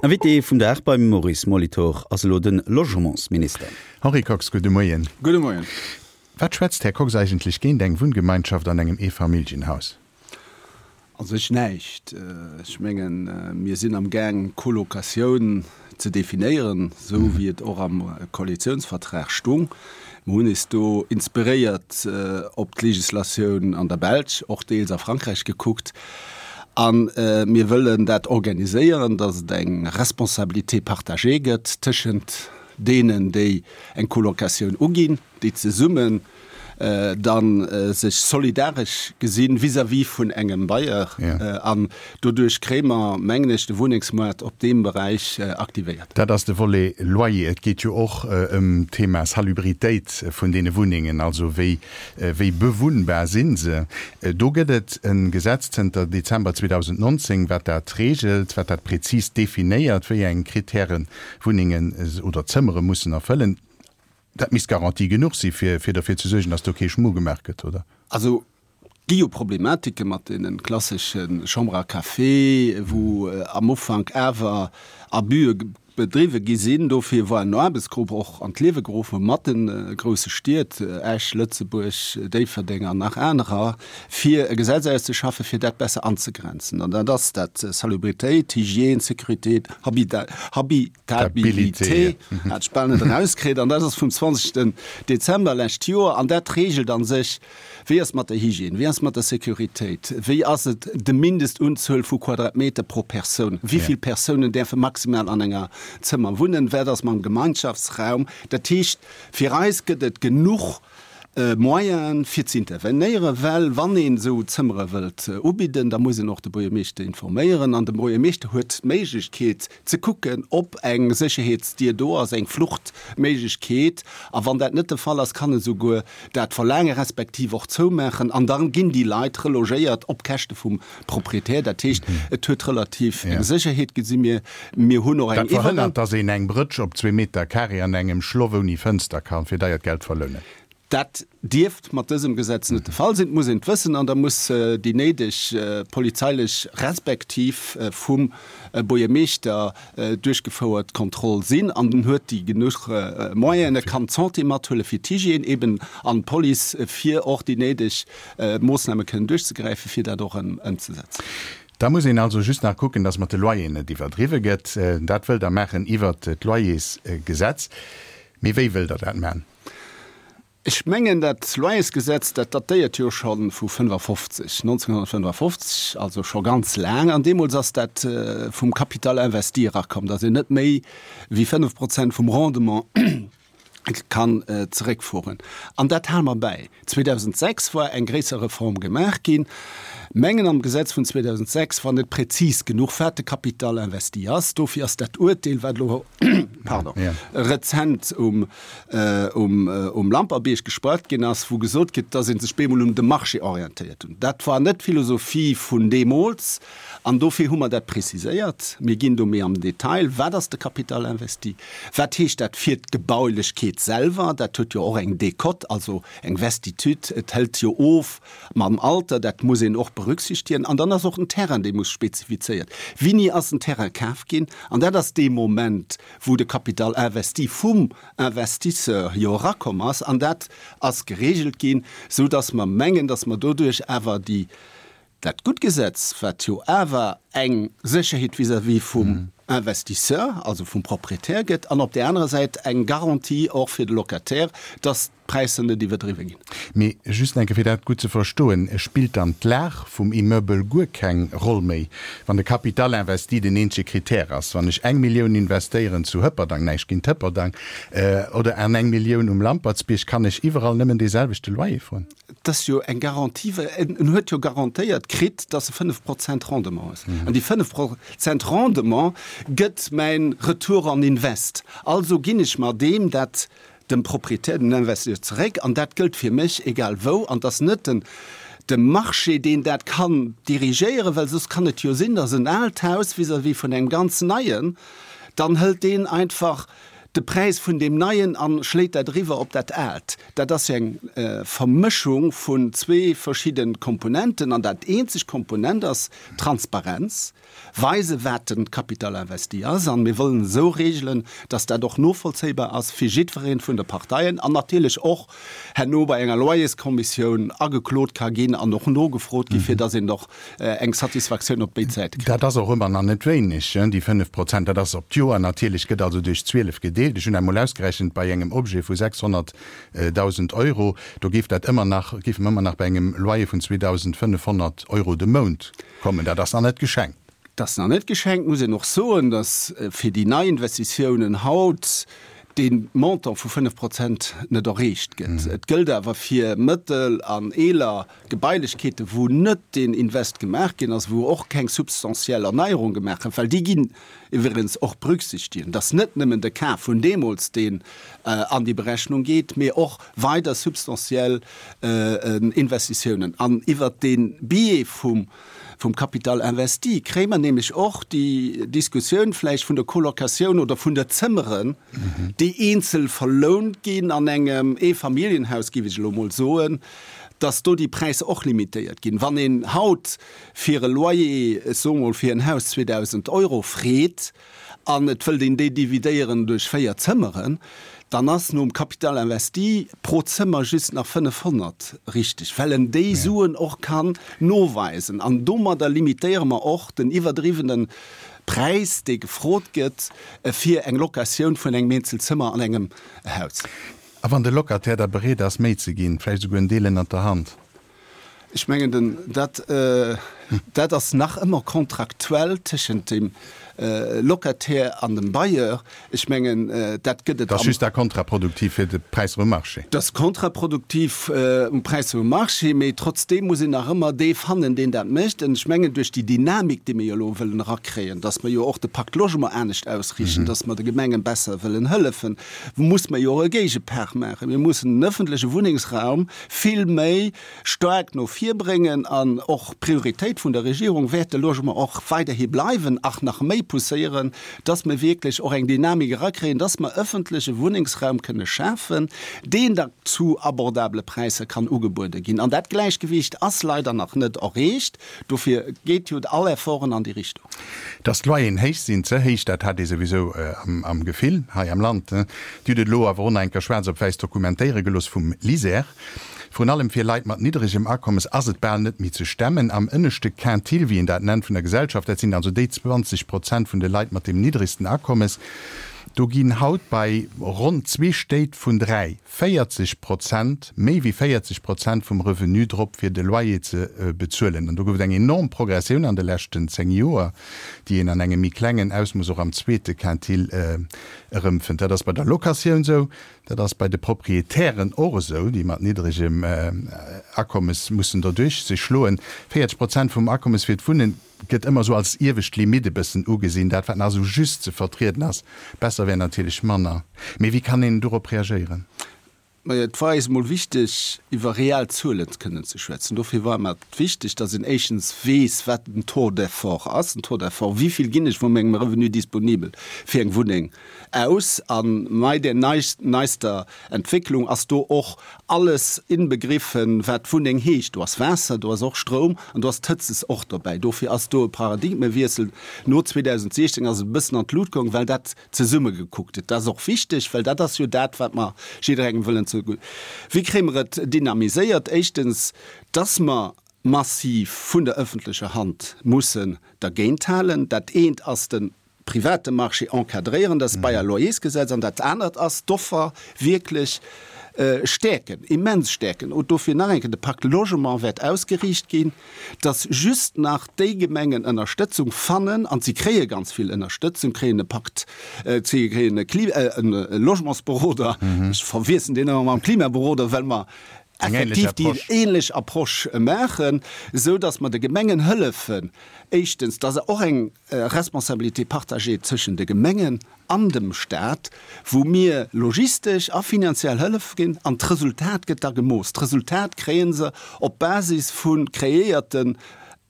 Invité vum Dag beim Maurice Molitor ass elo de Logementsminister. Henri Kox, gudde Moien. Gudde Moien. Wat schwätzt, Här Kox, eigentlech géint eng Wunngemeinschaft an engem Eefamilljenhaus? A sech näischt. Ech mengen, mir sinn am Gaang, d'Colocatioun ze definéieren, esou wéi et och am Koalitionsvertrag stung. Mir hunn eis do inspiréiert op d'Legislatioun an der Belsch, och deels a Frankräich gekuckt. A mir wëllen dat organiséieren, datt et eng Responsabilité partagée gëtt tëschent deenen, déi eng Colocatioun uginn, déi zesummen da sech solidaresch gesinn vis-à-vis vun engem Bailleur. An doduerch kréie mer, mengen ech, de Wunnengsmoart op deem Beräich aktivéiert. Dat ass de Volet Loyer. Et geet jo och ëm d'Thema Salubritéit vun deene Wunnengen, also wéi, wéi bewunnbar si se. Do gëtt et e Gesetz zënter Dezember 2019, wat dat reegelt, wat dat prezis definéiert, wéi eng Kritären Wunnengen oder Zëmmere mussen erfëllen. Dat misst Garantie genuch si fir fir derfir ze suergen, datt do kee Schmu gemaach gëtt, oder? Also, et gi jo Problematike mat deene klassesche Chambres à café, wou am Ufank awer Abuse bedriwwe gi sinn. Dofir war en Aarbechtsgrupp och an d'Liewe geruff mat de grousse Stied, Esch, Lëtzebuerg, Déifferdeng an nach anerer, fir e Gesetz auszeschaffen, fir dat besser anzegrenzen. An dat ass dat, Salubritéit, Hygiène, Sécurité, Habitat, Stabilité, hat ech bal net erauskritt, an dat ass vum 20. Dezember lescht Joer, an dat reegelt a sech, wéi ass mat der Hygiène, wéi ass mat der Sécuritéit, wéi ass et de Mindestunzuel vu Quadratmeter pro Persoun, wéi vill Persounen däerfe maximal an enger Zëmmer wunnen, wat ass mam Gemeinschaftsraum. Dat heescht, fir eis gëtt et genuch Moyenen, fir ze intervenéieren, well wann een esou Zëmmere wëllt ubidden, da muss een och de Buergermeeschter informéieren an de Buergermeeschter huet d'Méiglechkeet ze kucken, ob eng Sécherheetsdier do ass, eng Fluchtméiglechkeet, a wann dat net de Fall ass, kann e souguer dat verlaange respektiv och zoumaachen an da ginn déi Leit relogéiert op Käschte vum Proprietär. Dat heescht, et huet relativ eng Sécherheet, gesi mir. Mir hunn och eng Dat verhënnert, dass een eng Brëtsch op zwee Meter carré an engem Schloff ouni Fënster ka fir deiert Geld verlounen. Dat dierft mat dësem Gesetz net de Fall sinn. Et muss een et wëssen an da muss déi néideg polizeilech respektiv vum Buergermeeschter duerchgefouert Kontroll sinn. An en huet déi genuch Moyenen, e kann d'Santé mathuele fir d'Hygiène eben an d'Police, fir och déi néideg Moossname kënnen duerchzegräifen, fir dat och ëmzesetzen. Da muss een also just nach kucken, dass mat de Loyeren net iwwerdriwwe gëtt. Dat wëllt Der maachen iwwert d'Loyersgesetz. Mee wéi wëllt Der dat maachen? Ech mengen, dat Loyersgesetz, dat datéiert jo scho vu 55, 1955, also scho ganz laang. An deemools ass dat vum Capital investi erakomm, dass een net méi wéi 5 Prozent vum Rendement kann zeréckfueren. An dat hale mer bäi. 2006 war eng gréisser Reform gemaach ginn. Mengen am Gesetz vun 2006 war net präzis genuch, wat de Capital investi ass. Dofir ass dat Uerteel, wat elo, pardon, rezent um, um Lamperbiërg gesprach ginn ass, wou gesot gëtt, dass ee sech bemol un de Marché orientéiert hunn. Dat war net d'Philosophie vun deemools an dofir hu mer dat preziséiert. Mir ginn do méi am Detail, Wat ass de Capital investi? Wat heescht dat fir d'Gebaulechkeet selwer? Dat huet jo och eng Décote, also eng Vestitude. Et hëlt jo of mam Alter, dat muss een och berücksichtigen. An dann ass och den Terrain, dee muss spezifizéiert. Wéini ass den Terrain kaf ginn? An dat ass dee Moment, wou de Capital investi vum Investisseur jo erakomm ass. An dat ass geregelt ginn, esou dass mer mengen, dass mer doduerch awer déi, dat gutt Gesetz, wat jo awer eng Sécherheet vis-à-vis vum Investisseur, also vum Proprietär gëtt, an op där anerer Säit eng Garantie och fir de Locataire, dass d'Präisser net iwwerdriwwe ginn. Mee just eng Kéier, fir dat gutt ze verstoen, Spillt dann d'Lag vum Immeubel guer keng Roll méi, wann de Capital investi den eenzege Critère ass? Wann ech eng Millioun investéieren zu Hëpperdang, näischt géint Hëpperdang, oder an eng Millioun um Lampertsbierg, kann ech iwwerall nëmmen dee selwechte Loyer froen? Et ass jo eng Garantie, well en huet jo garantéiert kritt, dass e 5 Prozent Rendement ass. An déi 5 Prozent Rendement gëtt mäin Retour on invest. Also ginn ech mer deem dat dem Proprietär, dem Investisseur zeréck. An dat gëllt fir mech egal wou. An et ass net den de Marché, deen dat kann dirigéieren, well soss kann et jo sinn, dass en aalt Haus vis-à-vis vun engem ganz neien, dann hëlt deen einfach. de Präis vun deem Neien a schléit dat eriwwer op dat Aalt. Dat ass jo eng Vermëschung vun zwee verschidde Komponenten. An dat eenzeg Komponent ass Transparenz, weisen, wat de Capital investi ass. An mir wëllen esou regelen, dass dat och novollzéibar ass fir jiddweree vun de Parteien an natierlech och herno bei enger Loyerskommissioun ageklot ka ginn an och nogefrot gi fir dass een och eng Satisfaktioun op béid Säite kritt. Dat ass och ëmmer nach net wéineg, déi 5%. Dat ass op d'Joer natierlech, gëtt also duerch 12 gedeelt. Ech hunn emol ausgerechent, bei engem Objet vu 600.000 Euro, do géif dat ëmmer nach, géife mer ëmmer nach bei engem Loyer vun 2.500 Euro de Mount kommen. Dat ass nach net geschenkt. Dat ass nach net geschenkt. Muss een och soen, dass fir déi nei Investitiounen haut dee Montant vu 5 Prozent net erreecht gëtt. Et gëllt awer fir mëttel an eeler Gebailechkeeten, wou net deen Invest gemaach ginn ass, wou och keng substantiell Erneierung gemaach gëtt, well déi ginn iwwregens och berücksichtigen, dass net nëmmen de Kaf vun deemools, deen an déi Berechnung geet, mee och weider substantiell Investitiounen. An iwwert dee Biais vum Capital investi kréie mer nämlech och déi Diskussioun vläicht vun der Colocatioun oder vun der Zëmmeren, déi eenzel verlount ginn an engem Eefamilljenhaus, géif ech elo emol soen, dass do déi Präisser och limitéiert ginn. Wann een haut fir e Loyer, ech soe mol fir en Haus 2.000 Euro freet an et wëllt een déi dividéieren duerch 4 Zëmmeren, dann ass nom Capital investi pro Zëmmer just nach 500 richteg, well en déi Suen och kann noweisen. An domadder limitéiere mer och den iwwerdriwwene Präis, dee gefrot gëtt fir eng Locatioun vun engem eenzel Zëmmer an engem Haus. A wann de Locataire da bereet ass, méi ze ginn, vläicht esouguer en Deel ënnert der Hand? Ech mengen, den, dat, dat ass nach ëmmer kontraktuell tëschent dem Locataire an dem Bailleur. Ech mengen, dat gëtt et am. Dat ass just da kontraproduktiv fir de Präisser um Marché. Dat ass kontraproduktiv um Präisser um Marché, mee trotzdeem muss een nach ëmmer dee fannen, deen dat mécht. An ech mengen, duerch déi Dynamik, déi mir jo elo wëllen erakréien, dass mer jo och de Pacte Logement anescht ausriichten, dass mer de Gemengen besser wëllen hëllefen, muss mer jo och e Géigepart maachen. Mir mussen den öffentleche Wunnengsraum vill méi staark no vir bréngen an och d'Prioritéit vun der Regierung wäert de Logement och weiderhi bleiwen, ach nach méi pousséieren, dass mer wierklech och eng Dynamik erakréien, dass mer öffentleche Wunnengsraum kënne schafen, deen da zu abordabele Präisser kann ugebuede ginn. An dat Gläichgewicht ass leider nach net erreecht. Dofir geet jo all Efforten an déi Richtung. Dass d'Loyeren héich sinn, ze héich, dat hat ee souwisou am Gefill hei am Land. Dir hutt et elo awer och nach eng Kéier schwaarz op wäiss dokumentéiere gelooss vum LISER. Vrun allem fir Leit mat niddregem Akommes ass et bal net méi ze stemmen. Am ënneschte Quintil, wéi een dat nennt, vun der Gesellschaft, dat sinn also déi 20 Prozent vun de Leit mat deem niddregsten Akommes, do ginn haut bei ronn zwee Stéit vun dräi 40 Prozent, méi wéi 40 Prozent vum Revenu drop fir de Loyer ze bezuelen. An do gouf et eng enorm Progressioun an de leschten 10 Joer, déi een an engem méi klengen Ausmooss och am zweete Quintil erëmfënnt. Dat ass bei der Locatioun esou, dat ass bei de Proprietären och esou, déi mat niddregem Akommes mussen doduerch sech schloen. 40 Prozent vum Akommes fir d'Wunnen gëtt ëmmer esou als iewescht Limitt e bëssen ugesinn, dat wat nach esou just ze vertrieden ass. Besser wär natierlech manner. Mee wéi kann een dorop reagéieren? Majo, et war eis emol wichteg, iwwer real Zuelen kënnen ze schwätzen. Dofir war mer et wichteg, datt een éischtens weess, wat den Taux d'effort ass. Den Taux d'effort, wéi vill ginn ech vu mengem Revenu disponibel fir eng Wunneng aus? A bei där neister Entwécklung ass do och alles inbegriffen, wat Wunneng heescht. Do ass Waasser, do ass och Stroum an do ass d'Hëtzes och dobäi. Dofir ass do e Paradigmewiessel. No 2016 ass et e bëssen an d'Lut goung, well dat zesumme gekuckt huet. Dat ass och wichteg, well dat ass jo dat, wat mer jidderengem wëllen ze. Wéi kréie mer et dynamiséiert? Éischtens, dass mer massiv vun der öffentlecher Hand mussen dergéinthalen. Dat eent ass de private Marché encadréieren, dat ass d'Bail à loyers-Gesetz, an dat anert ass d'Offer wierklech stäerken, immens stäerken. Und dofir nach eng Kéier, de Pacte Logement wäert ausgeriicht ginn, dass just nach déi Gemengen Ënnerstëtzung fannen, an si kréie ganz vill Ënnerstëtzung, kréien e Pakt, si kréien e Kli-, e Logementsberoder, ech verwiesselen deen ëmmer mam Klimaberoder, well mer effektiv déi ähnlech Approche maachen, esou dass mer de Gemengen hëllefen, éischtens, dass och eng Responsabilité partagée tëschent de Gemengen an dem Stat, wou mir logistesch a finanziell Hëllef ginn, an d'Resultat gëtt da gemooss. D'Resultat kréie se op Basis vu kreéierten.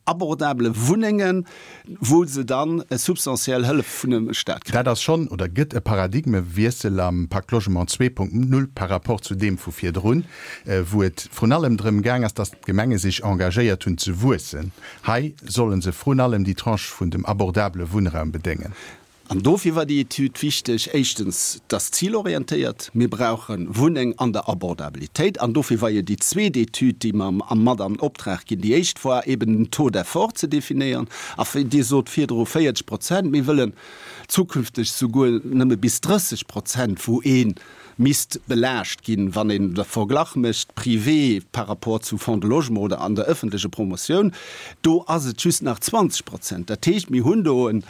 abordabele Wunnengen, wou se dann substantiell Hëllef vun dem Staat kréien. Dat ass schonn oder gëtt e Paradigmewiessel am Pacte Logement 2.0 par rapport zu deem vu virdrun, wou et vrun allem drëm gaang ass, dass d'Gemenge sech engagéiert hunn ze wuessen. Hei solle se vrun allem déi Tranche vun dem abordabele Wunnraum bedéngen. An dofir war déi Etüd wichteg. Éischtens, et ass zilorientéiert, mir brauche Wunneng an der Abordabilitéit. An dofir war jo déi zweet Etüd, déi mer mat an Optrag ginn, déi éischt war eben den Taux d'effort ze definéieren. A Dir sot virdru 40 Prozent, mir wëllen zukünfteg souguer nëmme bis 30 Prozent, wou ee misst belaascht ginn, wann een de Verglach mécht privé par rapport zu Fonds de Logement oder an der öffentlecher Promotioun, do ass et just nach 20 Prozent. Dat heescht, mir hunn do en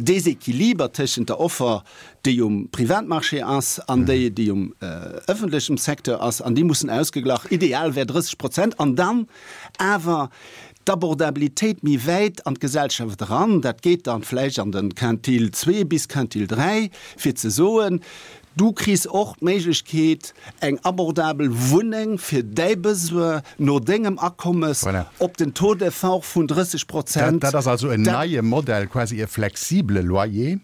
Déséquiliber tëschent der Offer, déi um Privatmarché ass, an déi, déi um öffentlechem Secteur ass, an déi mussen ausgeglach, ideal wär 30 Prozent, an dann awer d'Abordabilitéit méi wäit an d'Gesellschaft eran, dat geet dann vläicht an de Quintil zwee bis Quintil 3, fir ze soen, du kriss och d'Méiglechkeet, eng abordabel Wunneng fir däi Besoin no dengem Akommes op den Taux d'effort vun 30 Prozent. Dat ass also en neie Modell, quasi e flexibele Loyer,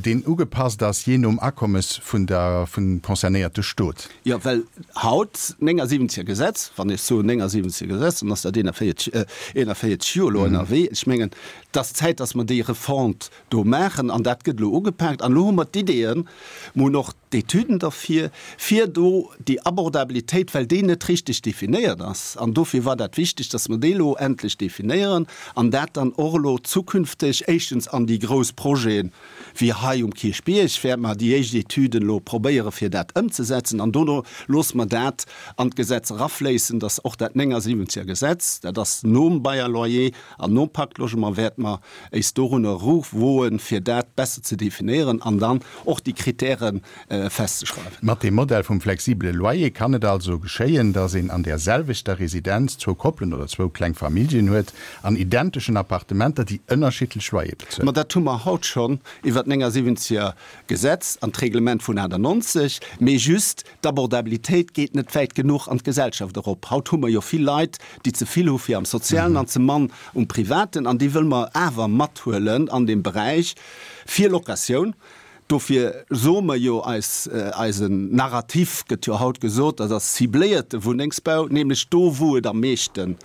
deen ugepasst ass jee nom Akommes vun der, vum concernéierte Stot. Jo, well haut, 79er Gesetz, wann ech soen 79er Gesetz, dann ass dat 41, 41 Joer elo ënnerwee. Ech mengen, et ass Zäit, dass mer déi Refonte do maachen an dat gëtt elo ugepaakt. An elo hu mer d'Ideeën, mer hunn och d'Etüden derfir, fir do déi Abordabilitéit, well déi net richteg definéiert ass, an dofir war dat wichteg, dass mer déi elo endlech definéieren an dat dann och elo zukünfteg éischtens an déi grouss Projeten, wéi hei um Kierchbierg, wäerte mer déi éischt Etüden elo probéiere fir dat ëmzesetzen an dono loosse mer dat an d'Gesetz erafléissen, dass och dat 79er Gesetz, dat ass nom Bail à loyer an nom Pacte Logement, wäerte mer éis dorunner eruwoen, fir dat besser ze definéieren an dann och déi Kritäre festzeschreiwen. Mat deem Modell vum flexibele Loyer kann et also geschéien, dass een an där selwechter Residenz zwou Koppelen oder zwou kleng Familljen huet, an identeschen Appartementer, déi ënnerschiddlech Loyer bezuelen. Ma dat hu mer haut schonn iwwer d'79er Gesetz an d'Reglement vun 98. Mee just, d'Abordabilitéit geet net wäit genuch an d'Gesellschaft erop. Haut hu mer jo vill Leit, déi ze vill hu fir am Sozialen an ze mann um Privaten. An déi wëlle mer awer mathuelen an deem Beräich fir Locatioun. Dofir soe mer jo, eis, eisen Narrativ gëtt jo haut gesot, dat ass cibléierte Wunnengsbau, nämlech do, wou et am meeschte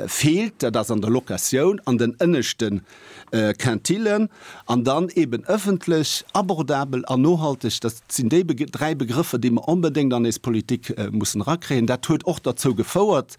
feelt, dat ass an der Locatioun, an den ënneschte Quintillen, an dann eben ëffentlech, abordabel an nohalteg. Dat sinn déi dräi Begrëffer, déi mer onbedéngt an eis Politik mussen erakréien. Dat huet och derzou gefouert,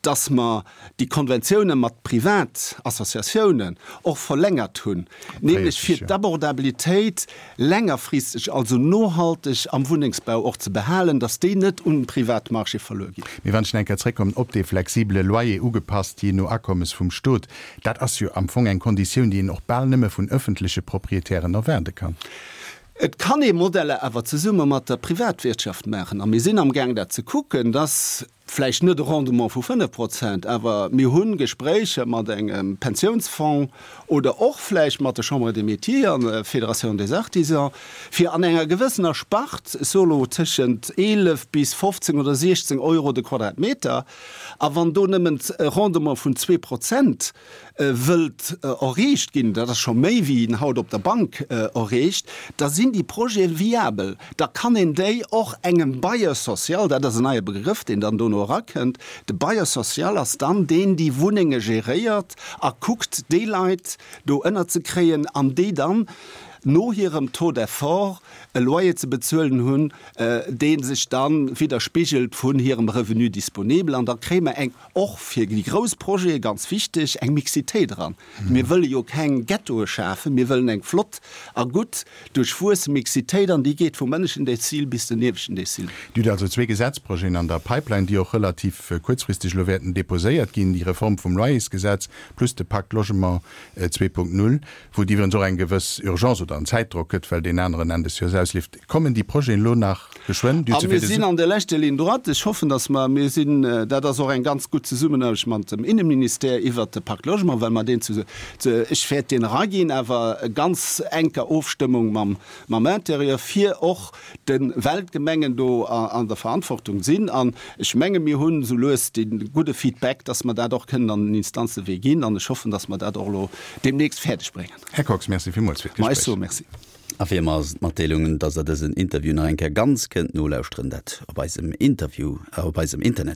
dass mer déi Konventioune mat Privatassociatiounen och verlängert hunn, nämlech fir d'Abordabilitéit längerfristeg, also nohalteg am Wunnengsbau och ze behalen, dass déi net un den Privatmarché verluer ginn. Mee wann ech nach eng Kéier zréckkommen op dee flexibele Loyer, ugepasst jee no Akommes vum Stot, dat ass jo am Fong eng Konditioun, déi een och bal nëmme vun öffentleche Proprietären erwaarde kann. Et kann ee Modeller awer zesumme mat der Privatwirtschaft maachen, a mir sinn amgaang dat ze kucken, dass vläicht net e Rendement vu 5 Prozent, awer mir hu Gespréicher mat engem Pensiounsfong oder och vläicht mat der Chambre des Métiers an der Fédération des Artisans, fir an enger gewëssener Spart, ech soe lo tëschent 11 bis 15 oder 16 Euro de Quadratmeter, a wann do nëmmen e Rendement vun zwee Prozent wëllt erreecht ginn, dat ass scho méi wéi een haut op der Bank erreecht, da sinn déi Projete viabel. Da kann een déi och engem Bailleur social, dat ass en neie Begrëff, deen dann dono erakënnt, de Bailleur social ass dann deen, déi Wunnenge geréiert a kuckt, déi Leit do ënnerzekréien an déi dann no hirem Taux d'effort e Loyer ze bezuelen hunn, dee sech da widderspigelt vun hirem Revenu disponible. An da kréie mer eng Och fir déi grouss Projete ganz wichteg, eng Mixitéit eran. Mir wëlle jo keng Ghettoe schafen, mir wëllen eng flott a gutt duerchwuesse Mixitéit an déi geet vum ënneschten Dezil bis den ieweschten Dezil. Dir hutt also zwee Gesetzprojeten an der Pipeline, déi och relativ kuerzfristeg elo wäerten deposéiert ginn, déi Reform vum Loyersgesetz plus de Pacte Logement 2.0, wou et iwwerens och eng gewëss Urgence oder. domadder en Zäitdrock gëtt, well deen aneren Enn des Joers ausleeft. Kommen déi Projeten elo nach geschwënn? Dir hutt se fir de. Mir sinn an der leschter Ligne droite. Ech hoffen, dass mer, mir sinn, dat ass och eng ganz gutt Zesummenaarbecht mat dem Innenministère iwwert de Pacte Logement, well mer deen zu, ech wäert deen eraginn, awer ganz enker Ofstëmmung mam, mam Intérieur, fir och de, well d'Gemengen do an der Verantwortung sinn. An ech menge mir hunn esou lues dee gudde Feedback, dass mer dat och kënnen an den Instanzewee ginn. An ech hoffen, dass mer dat och elo deemnächst fäerdeg bréngen. Här Kox, Merci villmools fir d'Gespréich. Ma ech soe Merci. A wéi ëmmer ass et d'Matdeelung, dass der dësen Interview nach eng Kéier ganz kënnt nolauschteren, dat op eisem Interview, op eisem Internet.